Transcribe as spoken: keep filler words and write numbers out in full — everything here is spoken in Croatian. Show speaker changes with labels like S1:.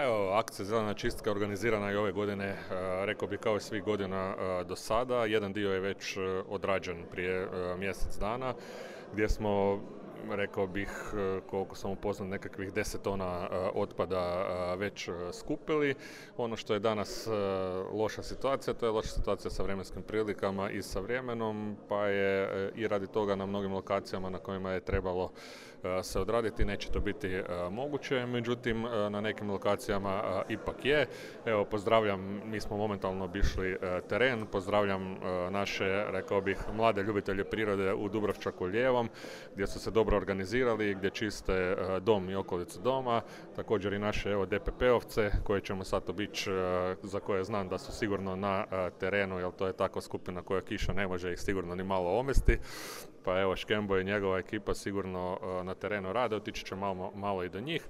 S1: Evo, akcija Zelena čistka organizirana je ove godine, e, rekao bih kao i svih godina e, do sada. Jedan dio je već e, odrađen prije e, mjesec dana, gdje smo, rekao bih, e, koliko sam upoznat, nekakvih deset tona e, otpada e, već e, skupili. Ono što je danas e, loša situacija, to je loša situacija sa vremenskim prilikama i sa vremenom, pa je e, i radi toga na mnogim lokacijama na kojima je trebalo e, se odraditi, neće to biti e, moguće, međutim e, na nekim lokacijama e, ipak je. Evo, pozdravljam, mi smo momentalno obišli e, teren, pozdravljam e, naše, rekao bih, mlade ljubitelje prirode u Dubrovčaku lijevom, gdje su se dobro organizirali, gdje čiste e, dom i okolicu doma, također i naše evo, D P P-ovce koje ćemo sad obići, e, za koje znam da su sigurno na e, terenu, jer to je takva skupina koja kiša ne može ih sigurno ni malo omesti. Pa evo, Škembo i njegova ekipa sigurno uh, na terenu rade, otići će malo, malo i do njih.